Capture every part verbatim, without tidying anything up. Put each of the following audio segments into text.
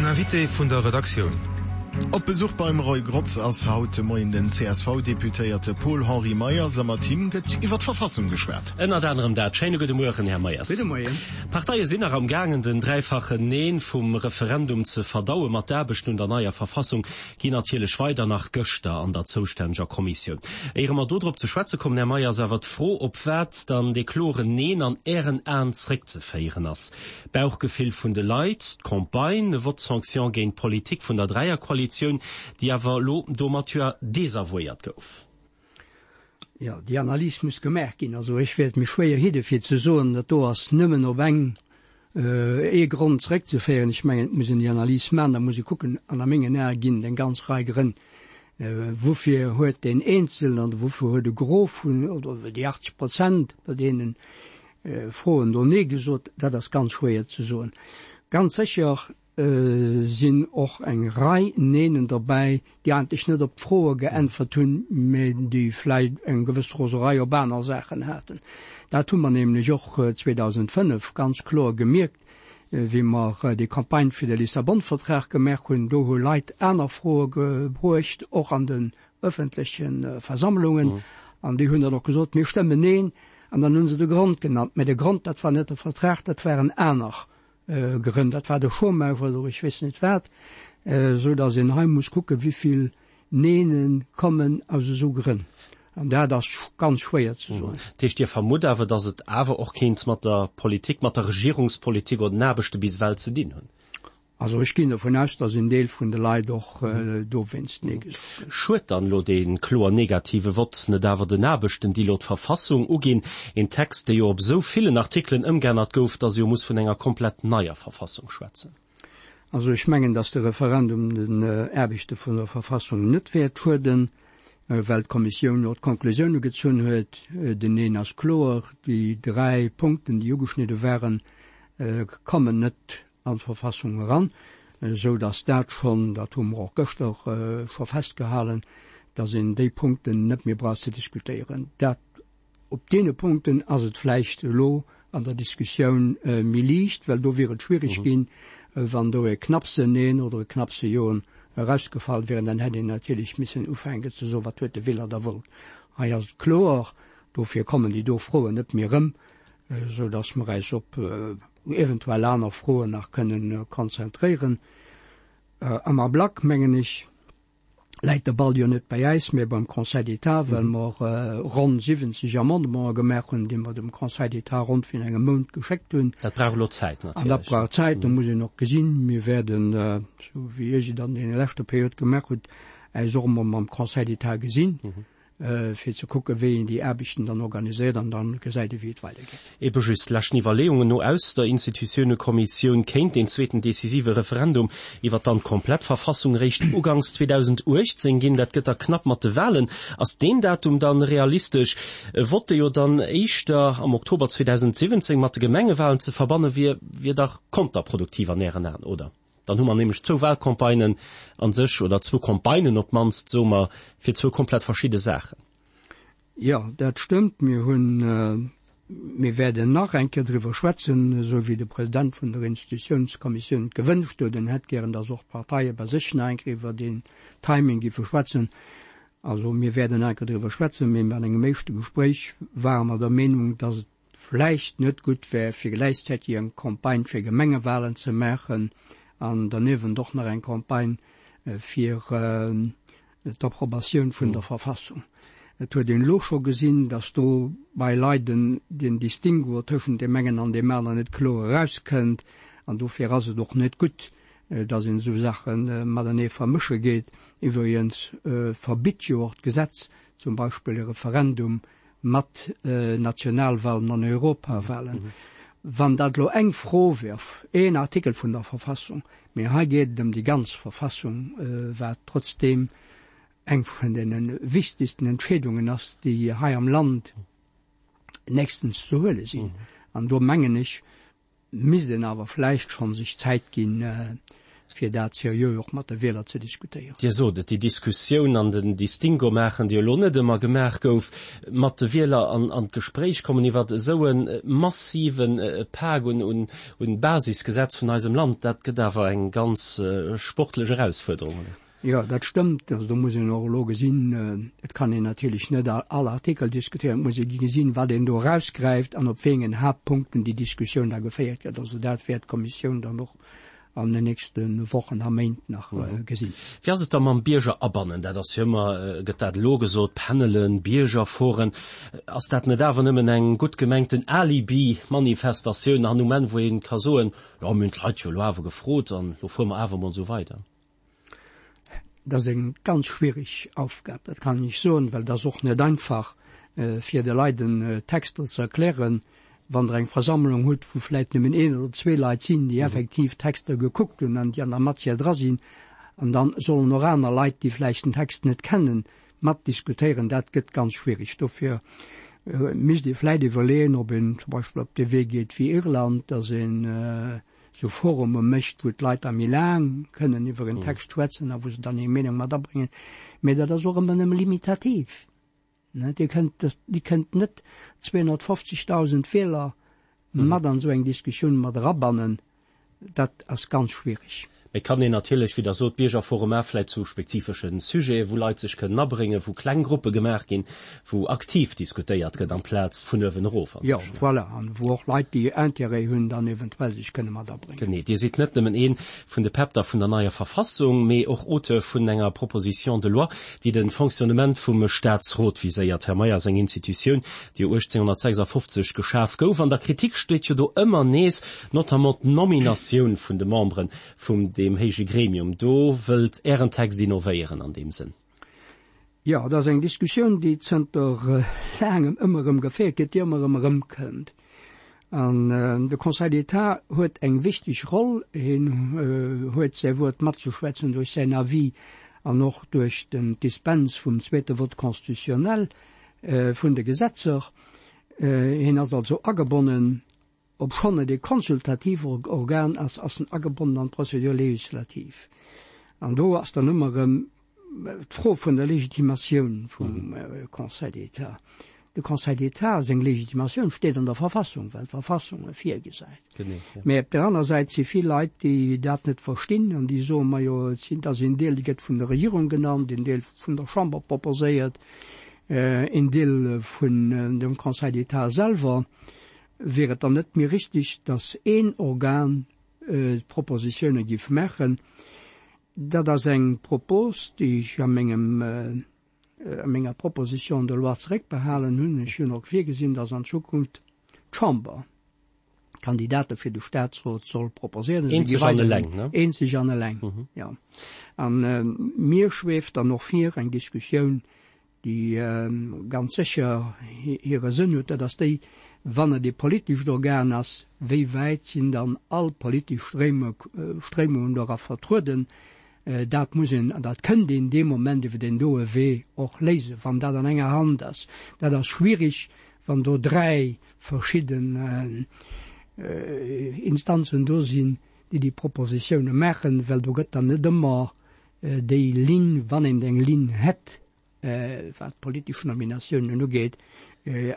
Invité vun der Redaktioun. Op Besuch beim Roy Grotz ass haut de Moien den C S V-Deputéierte Paul-Henri Meyers a mat him gëtt iwwer d'Verfassung geschwat. Ënnert anerem dat. Schéine gudde Mueren, Här Meyers. Gudde Moien. D'Parteie sinn nach am gaangen, den dräifachen Neen vum Referendum ze verdauen. Ma d'Aarbechten un der neier Verfassung ginn natierlech weider, nach gëschter an der zoustänneger Kommissioun. Éiere mer do drop ze schwätze kommen, Här Meyers, awer d'Fro, op wat dann dee kloren Neen an Ären Aen zréckzeféieren ass. D'Bauchgefill vun de Leit, d'Campagne, e Vote sanction géint d'Politik vun der Dräierkoalitioun, déi awer elo domat jo desavouéiert gouf. Jo, déi Analys muss gemaach ginn. Also ech wäert mech schwéier hidde fir ze soen, dat do ass nëmmen op eng, ee Grond zréckzeféieren. Ech mengen, et muss een déi Analys maachen, da muss ee kucken, an a mengen Ae ginn et eng ganz Rei Grënn. Woufir huet deen Eenzelnen oder woufir huet e Gros vun, oder déi achtzeg Prozent bei deenen Froen do Nee gesot, dat ass ganz schwéier ze soen. Ganz sécher sinn och eng Rei Neenen derbäi, déi eigentlech net op d'Froe geäntwert hunn, mä déi vläicht eng gewëss Roserei op aner Saachen haten. Dat hu mer nämlech och zweedausendfënnef ganz kloer gemierkt, wéi mer déi Campagne fir de Lissabon-Vertrag gemaach hunn. Do hu Leit aner Froe gebruecht, och an den öffentleche Versammlungen, an déi hunn dann och gesot, mir stëmmen Neen, an dann hu se de Grond genannt. Mä de Grond, dat war net de Vertrag, dat waren aner Grënn, dat war de Chômage oder ech weess net wat, esou datt een hei muss kucken, wéi vill Neene kommen aus esou Grënn. An dat ass ganz schwéier ze soen. Dat heescht, Dir vermutt awer, datt et awer och kéint mat der Politik, mat der Regierungspolitik oder den Aarbechte bis ewell ze dinn hunn? Also ech ginn dovun aus, datt en Deel vun de Leit och dowéinst Nee gesot hunn. Schued dann elo dee kloer negative Vott net awer den Aarbechten, déi elo d'Verfassung uginn? Een Text, dee jo op esou villen Artikelen ëmgeännert gouf, datt ee jo muss vun enger komplett neier Verfassung schwätzen. Also ech mengen, datt de Referendum den Aarbechte vun der Verfassung net wäert schueden, well d'Kommissioun jo d'Konklusioune gezunn huet. Den Neen ass kloer, déi dräi Punkten, déi ugeschnidde waren, kommen net an d'Verfassung eran, esou datt dat schonn, dat hu mer och gëschter scho festgehalen, datt een déi Punkten net méi brauch ze diskutéieren. Dat, op deene Punkten ass et vläicht elo an der Diskussioun méi liicht, well do wier et schwierig ginn, wann do e knappse Neen oder e knappse Joen erausgefall wieren, dann hätt een natierlech missen ufänken ze soen, wat huet de Wieler da wollt. Hei ass et kloer, dofir kommen déi do Froen net méi erëm, esou datt mer eis op eventuell aner Froen nach kënnen konzentréieren. Am Ablack, mengen ech, läit de Ball jo net bei äis, mä beim Conseil d'État, well mer ronn siwwenzeg Amendementen gemaach hunn, déi mer dem Conseil d'État ronn virun engem Mount geschéckt hunn. Dat brauch elo Zäit natierlech. An dat brauch Zäit, do muss een och gesinn, mir wäerden, esou wéi ech et an deene leschter Period gemaach hutt, äis och emol mam Conseil d'État gesinn, fir ze kucken, wéi een déi Aarbechten dann organiséiert, an dann gesäit ee wéi et weidergeet. Ebe just leschten Iwwerleeungen no aus der Institutiounekommissioun kéint deen zweeten decisive Referendum iwwer dann d'komplett Verfassung réischt uganks zweedausenduechtzéng ginn. Dat gëtt da knapp mat de Wahlen. Ass deen Datum dann realistesch? E Vott, dee jo dann éischter am Oktober zweedausensiwwenzéng mat de Gemengewahlen ze verbanne wier, wier dach konterproduktiv an Ären Aen, oder? Dann hu mer nämlech zwou Wahlcampagnen an sech, oder zwou Campagnen op d'mannst, soe mer, fir zwou komplett verschidde Saachen. Jo, dat stëmmt. Mir hunn, mir wäerten nach eng Kéier driwwer schwätzen, esou wéi de President vun der Institutiounskommissioun et gewënscht huet. En hätt gären, datt och d'Parteie bei sech nach eng Kéier iwwer deen Timing géife schwätzen. Also mir wäerten nach eng Kéier driwwer schwätzen, mee an engem éischte Gespréich ware mer der Meenung, datt et vläicht net gutt wär, fir gläichzäiteg eng Campagne fir Gemengewahlen ze maachen an derniewent och nach eng Campagne fir d'Approbatioun vun der Verfassung. Et huet een elo scho gesinn, datt do bei Leit den Distinguo tëschent deem engen an deem aneren net kloer erauskënnt. An dofir ass et och net gutt, datt een esou Saache matenee vermësche geet. Iwwregens verbitt jo och d'Gesetz zum Beispill e Referendum mat Nationalwahlen an Europawahlen. Wann dat elo eng Fro wier, een Artikel vun der Verfassung, mee hei geet et ëm déi ganz Verfassung, wat trotzdeem eng vun deene wichtegsten Entscheedungen ass, déi hei am Land nächstens ze huele sinn. An do mengen ech, misst een awer vläicht schonn sech Zäit ginn, fir dat seriö och mat de Wieler ze diskutéieren. Dir sot et, déi Diskussioun an den Distinguo maachen, déi elo net ëmmer gemaach gouf, mat de Wieler an an d'Gespréich kommen iwwert esou e massive Pak un un Basisgesetz vun eisem Land, dat gëtt awer eng ganz sportlech Erausfuerderung, oder? Jo, dat stëmmt. Also do muss een och elo gesinn, et kann een natierlech net all Artikel diskutéieren, et muss ee gesinn, wat een do erausgräift an op wéi engen Haaptpunkten déi Diskussioun da geféiert gëtt. Also dat wäert d'Kommissioun dann och an den nächste Wochen a Méint nach gesinn. Wéi ass et da mam Bierger abannen? Dat ass jo ëmmer, gëtt dat elo gesot, Panelen, Biergerforen. Ass dat net awer nëmmen eng gutt gemengten Alibi-Manifestatioun an um Enn, wou ee ka soen, jo mir hunn d'Leit jo elo awer gefrot an elo fuere mer awer emol esou weider? Dat ass eng ganz schwierig Aufgab, dat kann ech soen, well et ass och net einfach, fir de Leit en Texter ze erklären, wann Der eng Versammlung hutt, wou vläicht nëmmen een oder zwee Leit sinn, déi effektiv d'Texter gekuckt hunn an déi an der Matière dra sinn, an da sollen och aner Leit, déi vläicht den Text net kennen, matdiskutéieren, dat gëtt ganz schwierig. Dofir misst ee vläicht iwwerleeën, ob een zum Beispill op dee Wee geet wéi Irland, dass een esou Forume mécht, wou d'Leit da méi laang kënnen iwwer en Text schwätzen a wou se dann hir Meenung mat abréngen. Mä dat ass och ëmmer nëmme limitativ. Dir kënnt, Dir kënnt net zweehonnertfofzegdausend Wieler mat an esou eng Diskussioun mat erabannen. Dat ass ganz schwierig. Mee et kann een natierlech, wéi Der sot, Biergerforume vläicht zu spezifesche Sujeten, wou Leit sech kënnen abréngen, wou kleng Gruppe gemaach ginn, wou aktiv diskutéiert gëtt amplaz vun uewen erof an. Jo, voilà, an wou och Leit, déi Intérêt hunn, dann eventuell sech kënne mat abréngen. Genee. Dir sidd net nëmmen ee vun de Päpp da vun der neier Verfassung, mee och Auteur vun enger Proposition de loi, déi de Fonctionnement vum Staatsrot viséiert. Här Meyers, eng Institutioun, déi jo uechtzénghonnertsechsafofzeg geschaf gouf. An der Kritik steet jo do ëmmer nees notamment d'Nominatioun vun de Membere vum deem héije Gremium. Do wëllt Ären Text innovéieren an deem Sënn. Jo, dat ass eng Diskussioun, déi zënter laangem ëmmer erëm geféiert gëtt, déi ëmmer erëm erëmkënnt. An de Conseil d'État huet eng wichteg Roll. Hien huet säi Wuert matzeschwätzen duerch säin Avis an och duerch den d'Dispens vum zweete Vote constitutionnel vun de Gesetzer. Hien ass also agebonnen. Obschonn et e konsultativ Organ ass, ass en agebonnen an d'Procédure législative. An do ass dann ëmmer erëm d'Fro vun der Legitimatioun vum Conseil d'État. De Conseil d'État seng Legitimatioun steet an der Verfassung, well d'Verfassung e virgesäit. Mä op där aner Säit si vill Leit, déi dat net verstinn an déi soen, Majo, et sinn, et ass een Deel, dee gëtt vun der Regierung genannt, een Deel vun der Chamber proposéiert, een Deel vun dem Conseil d'État selwer. Wier et dann net méi richtig, datt een Organ d'Propositione giff maachen? Dat ass eng Propos, déi ech a mengem, a menger Proposition de loi zeréckbehalen hunn. Ech hunn och virgesinn, datt an Zukunft d'Chamber Kandidate fir de Statsrot soll proposéieren. Eenzeg an eleng, ne? Eenzeg an eleng, jo. A mir schweeft dann och vir eng Diskussioun, déi ganz sécher hire Sënn huet, dat ass déi, wann et ee politescht Organ ass, wéi wäit sinn dann all politesch Stréimungen dora vertrueden? Dat muss een an dat kënnt een dee Moment iwwer deen doe Wee och léisen, wann dat an enger Hand ass. Dat ass schwierig, wann do dräi verschidden Instanzen do sinn, déi déi Propositione maachen, well do gëtt dann net ëmmer déi Linn, wann een eng Linn hätt, wat d'politesch Nominatiounen ugeet,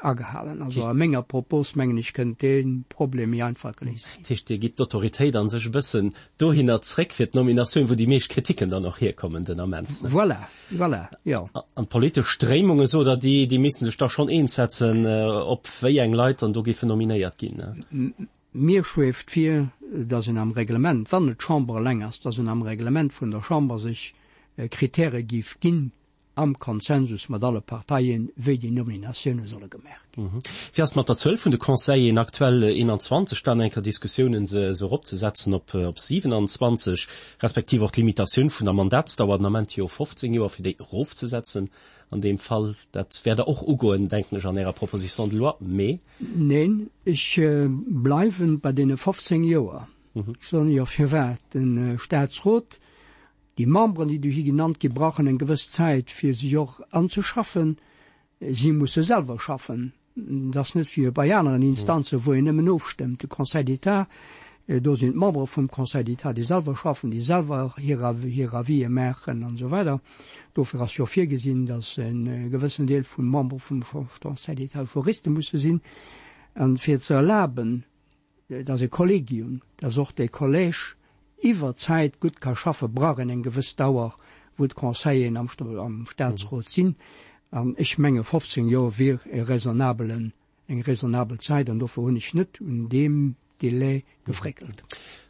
agehalen. Also a menger Propos, mengen ech, kënnt dee Problem méi einfach geléist ginn. Dat heescht, Dir gitt d'Autoritéit a sech e bëssen dohinner zréck fir d'Nominatioun, wou déi meescht Kriticken dann och hierkommen den Ament, ne? Voilà, voilà, jo. An d'politesch Stréimunge, sot Der, déi, déi misste sech da schonn eens setzen, op wéi eng Leit dann do géifen nominéiert ginn, ne? Mir schweeft vir, dass een am Reglement, wann et d'Chamber eleng ass, dass een am Reglement vun der Chamber sech Kritäre géif ginn, am Konsensus mat alle Parteien, wéi déi Nominatioune solle gemaach ginn. Wéi ass et mat der Zuel vun de Conseilleren? Aktuell eenanzwanzeg, et waren eng Kéier Diskussiounen, se eropzesetzen op siwenanzwanzeg, respektiv och d'Limitatioun vun der Mandatsdauer, den Ament jo fofzéng Joer, fir déi erofzesetzen an deem Fall. Dat wäert Der och ugoen, denken ech, an Ärer Proposition de loi, mee. Neen, ech bleiwe bei deene fofzéng Joer. Ech soen Iech och firwat. De Statsrot Déi Memberen, déi dohi genannt ginn, brauchen eng gewëss Zäit, fir sech och anzeschaffen. Si musse selwer schaffen. Et ass net wéi bei aneren Instanzen, wou een nëmmen ofstëmmt. De Conseil d'État Do sinn d'Membere vum Conseil d'État, déi selwer schaffen, déi selwer hir hir Avisë maachen an esou weider. Dofir ass jo virgesinn, datt e gewëssen Deel vum Member vum Conseil d'État Juriste musse sinn. An fir ze erlaben, datt e Kollegium, datt och de Collège iwwer d'Zäit gutt ka schaffen, brauch een eng gewëss Dauer, wou d'Conseilleren am am Statsrot sinn. An ech menge fofzéng Joer wier e raisonnabelen, eng raisonnabel Zäit an dofir hunn ech net un deem Délai gefréckelt.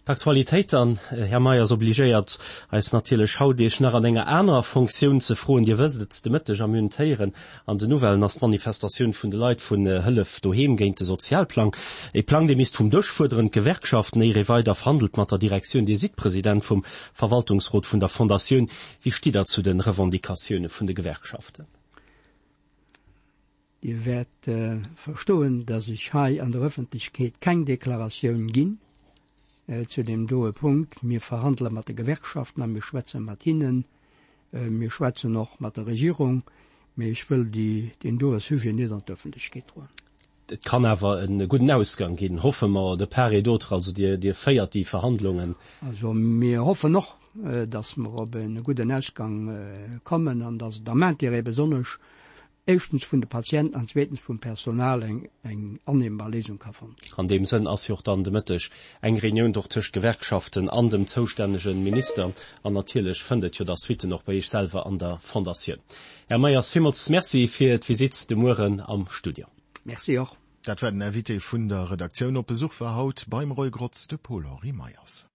D'Aktualitéit dann, Här Meyers, obligéiert eis natierlech haut, Iech nach an enger anerer Fonctioun ze froen. Dir wësst et, de Mëtteg a mir hunn et héieren an den Nouvellen, ass d'Manifestatioun vun de Leit vun Hëllef Doheem géint de Sozialplang. E Plang, dee misst vum Dësch, fuerderen d'Gewerkschaften, éier ee weider verhandelt mat der Direktioun. Dir sidd President vum Verwaltungsrot vun der Fondatioun. Wéi stitt Der zu de Revendicatioune vun de Gewerkschaften? Dir wäert verstoen, dass ech hei an der Öffentlechkeet keng Deklaratioun ginn zu deem doe Punkt. Mir verhandele mat de Gewerkschaften a mir schwätze mat hinnen. Mir schwätzen och mat der Regierung, mee ech wëll deen doe Sujet net an d'Öffentlechkeet droen. Et kann awer e gudden Ausgang ginn, hoffe mer, de part et d'autre. Also Dir féiert déi Verhandlungen. Also mir hoffen och, dass mer op e gudden Ausgang kommen an dass et am Intérêt besonnesch éischtens vun de Patienten an zweetens vum Personal eng eng annehmbar Léisung ka fonnt ginn. An deem Sënn ass jo och dann de Mëtteg eng Reunioun och tëscht Gewerkschaften an dem zoustännege Minister. An natierlech fënnt et jo da Suitten och bei Iech selwer an der Fondatioun. Här Meyers, villmools Merci fir d'Visitt de Mueren am Studio. Merci och. Dat war den Invité vun der Redaktioun. Op Besuch war haut beim Roy Grotz de Paul-Henri Meyers.